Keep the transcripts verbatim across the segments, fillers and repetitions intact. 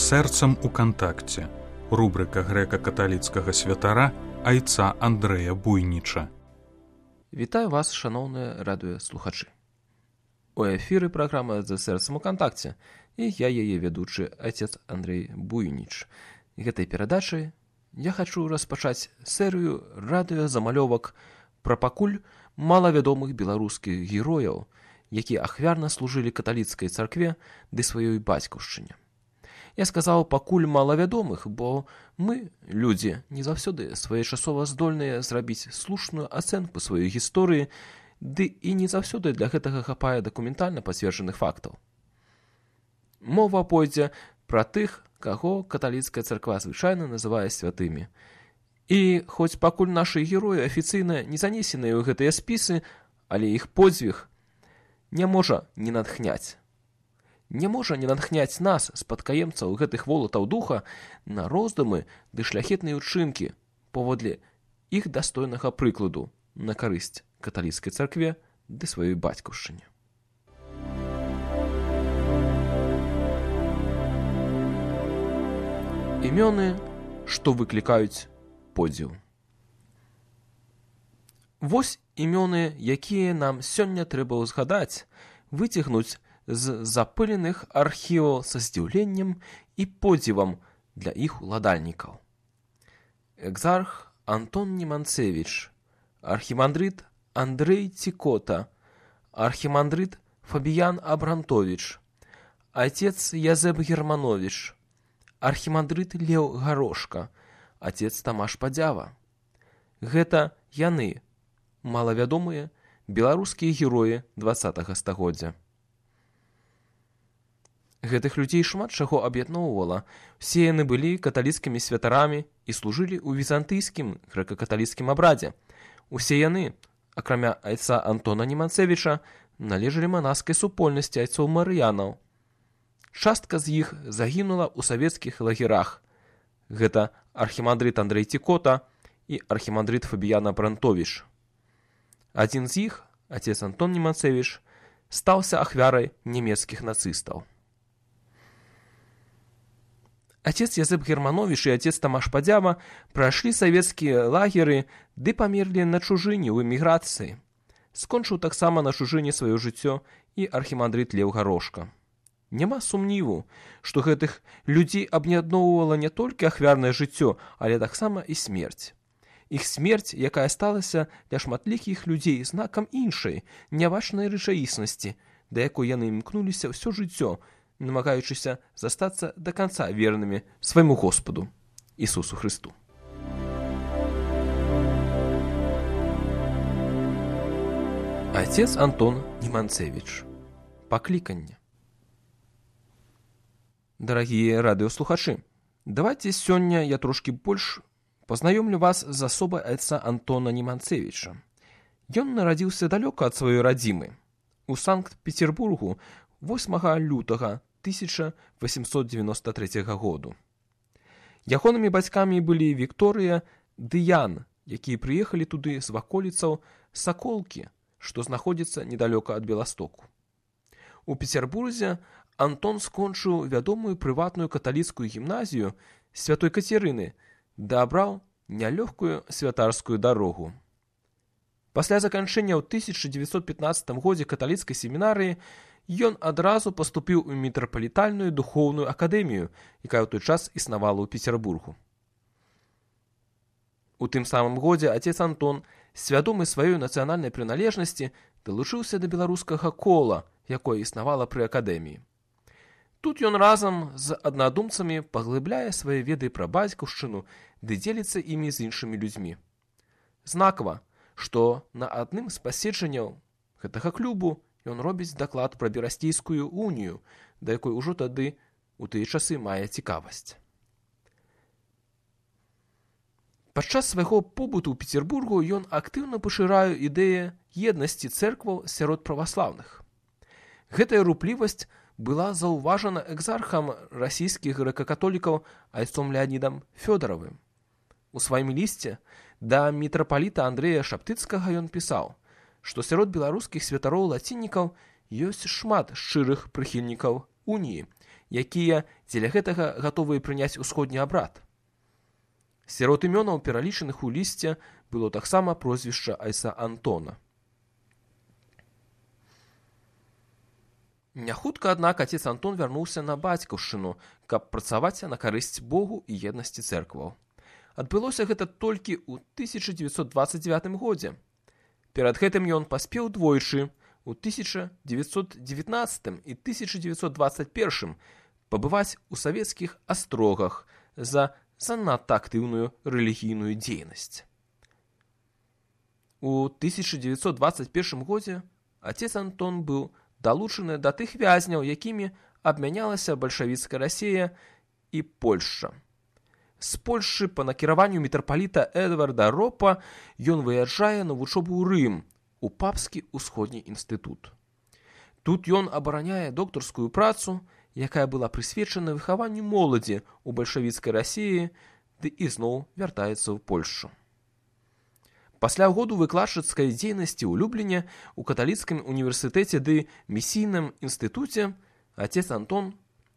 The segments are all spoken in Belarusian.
Сэрцам у кантакце. Рубрика грэка-каталіцкага святара айца Андрэя Буйніча. Вітаю вас, шаноўныя радыёслухачы. У эфіры праграма «За сэрцам у кантакце» і я яе ведучы айцец Андрэй Буйніч. Гэтай перадачай я хачу распачаць серыю радыёзамалёвак пра пакуль малавядомых беларускіх герояў, якія ахвярна служылі каталіцкай царкве ды сваёй бацькаўшчыне. Я сказаў пакуль малавядомых, бо мы, людзі, не заўсёды своечасова здольныя зрабіць слушную ацэнку сваёй гісторыі, ды і не заўсёды для гэтага хапае дакументальна пацверджаных фактаў. Мова пойдзе пра тых, каго каталіцкая царква звычайна называе святымі. І хоць пакуль нашы героі афіцыйна не занесеныя ў гэтыя спісы, але іх подзвіг не можа не натхняць. Не можа не натхняць нас, спадкаемцаў гэтых волатаў духа, на роздумы ды шляхетныя ўчынкі паводле іх дастойнага прыкладу на карысць каталіцкай царкве ды сваёй бацькаўшчыне. Імёны, што выклікаюць подзіў. Вось імёны, якія нам сёння трэба ўзгадаць, выцягнуць з запыленых архіваў са здзіўленнем і подзівам для іх уладальнікаў. Экзарх Антон Неманцевіч, архімандрыт Андрэй Цікота, архімандрыт Фабіян Абрантовіч, айцец Язэп Германовіч, архімандрыт Леў Гарошка, отец Тамаш Падзява. Гэта яны, малавядомыя беларускія героі дваццатага стагоддзя. Гэтых людзей шмат чаго аб'ядноўвала. Усе яны былі каталіцкімі святарамі і служылі ў візантыйскім грэка-каталіцкім абрадзе. Усе яны, акрамя айца Антона Неманцевіча, належалі манаскай супольнасці айцоў марыянаў. Частка з іх загінула ў савецкіх лагерах. Гэта архімандрыт Андрэй Цікота і архімандрыт Фабіян Абрантовіч. Адзін з іх, отец Антон Неманцевіч, стаўся ахвярай нямецкіх нацыстаў. Отец Язэп Германовіч і отец Тамаш Падзява прайшлі савецкія лагеры ды памерлі на чужыне ў эміграцыі. Скончыў таксама на чужыне сваё жыццё і архімандрыт Леў Гарошка. Няма сумніву, што гэтых людзей аб'ядноўвала не толькі ахвярнае жыццё, але таксама і смерць. Іх смерць, якая сталася для шматлікіх людзей знакам іншай, нябачнай рэчаіснасці, да якой яны імкнуліся ўсё жыццё, намагаючыся застацца да канца вернымі свайму Господу, Ісусу Хрысту. Айцец Антон Неманцевіч. Пакліканне. Дарагія радыёслухачы, давайце сёння я трошкі больш пазнаёмлю вас з асобай айца Антона Неманцевіча. Ён нарадзіўся далёка ад сваёй радзімы, у Санкт-Петербургу восьмага лютага тысяча восемьсот девяносто третьего году. Ягонымі бацькамі былі Вікторыя ды Ян, якія прыехалі туды з ваколіцаў Саколкі, што знаходзіцца недалёка ад Беластоку. У Петербурзе Антон скончыў вядомую прыватную каталіцкую гімназію Святой Кацярыны ды абраў нялёгкую святарскую дарогу. Пасля заканчэння ў тысяча дзевяцьсот пятнаццатым годзе каталіцкай семінарыі ён адразу паступіў у мітрапалітальную духоўную акадэмію, якая ў той час існавала ў Петербургу. У тым самым годзе отец Антон, свядомы сваёй нацыянальнай прыналежнасці, далучыўся да беларускага кола, якое існавала пры акадэміі. Тут ён разам з аднадумцамі паглыбляе свае веды пра бацькаўшчыну ды дзеліцца імі з іншымі людзьмі. Знакава, што на адным з паседжанняў гэтага клубу ён робіць даклад пра Берасцейскую унію, да якой ужо тады у тыя часы мае цікавасць. Падчас свайго побыту ў Петербургу ён актыўна пашырае ідэю еднасці цэркваў сярод праваслаўных. Гэтая руплівасць была заўважана экзархам расійскіх грэка-католікаў айцом Леанідам Фёдаравым. У сваім лісце да мітрапаліта Андрэя Шаптыцкага ён пісаў, што сярод беларускіх святароў-лаціннікаў ёсць шмат шчырых прыхільнікаў уніі, якія дзеля гэтага гатовыя прыняць усходні абрад. Сярод імёнаў, пералічаных у лісце, было таксама прозвішча айца Антона. Няхутка, аднак, отец Антон вярнуўся на бацькаўшчыну, каб працаваць на карысць Богу і еднасці цэркваў. Адбылося гэта толькі ў тысяча дзевяцьсот дваццаць дзевятым годзе. Перад гэтым ён паспеў двойчы, у тысяча дзевяцьсот дзевятнаццатым і тысяча дзевяцьсот дваццаць першым, пабываць у савецкіх астрогах за занадта актыўную рэлігійную дзейнасць. У тысяча дзевяцьсот дваццаць першым годзе отец Антон быў далучаны да тых вязняў, якімі абмянялася бальшавіцкая Расія і Польшча. З Польшчы па накіраванню мітрапаліта Эдварда Ропа ён выязджае на вучобу ў Рым, у папскі ўсходні інстытут. Тут ён абараняе доктарскую працу, якая была прысвечана выхаванню моладзі ў бальшавіцкай Расіі, ды ізноў вяртаецца ў Польшчу. Пасля году выкладчыцкай дзейнасці ў Любліне, у каталіцкім універсітэце ды місійным інстытуце отец Антон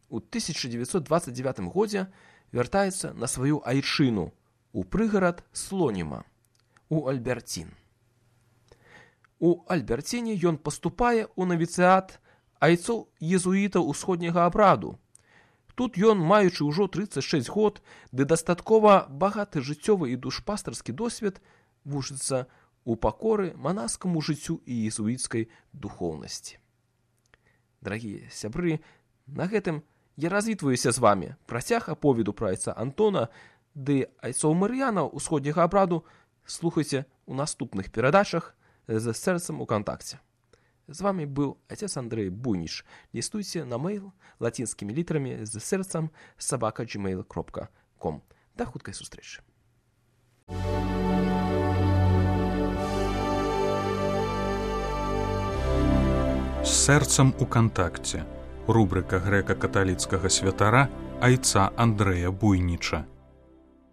у тысяча дзевяцьсот дваццаць дзевятым годзе вяртаецца на сваю айчыну у прыгарад Слоніма, у Альберцін. У Альберціне ён паступае ў навіцыят айцоў езуітаў усходняга абраду. Тут ён, маючы ўжо трыццаць шэсць год, ды дастаткова багаты жыццёвы і душпастарскі досвед, вучыцца ў пакоры манаскаму жыццю і езуіцкай духоўнасці. Дарагія сябры, на гэтым я развітваюся з вамі. Працяг аповеду пра айца Антона ды айцоў марыянаў усходняга абраду слухайце ў наступных перадачах з сэрцам у кантакце. З вамі быў отец Андрэй Буйніч. Лістуйце на мейл лацінскімі літарамі з сэрцам сабака джимейл кропка ком. Да хуткай сустрэчы. З сэрцам у кантакце. Рубрыка грэка-каталіцкага святара айца Андрэя Буйніча.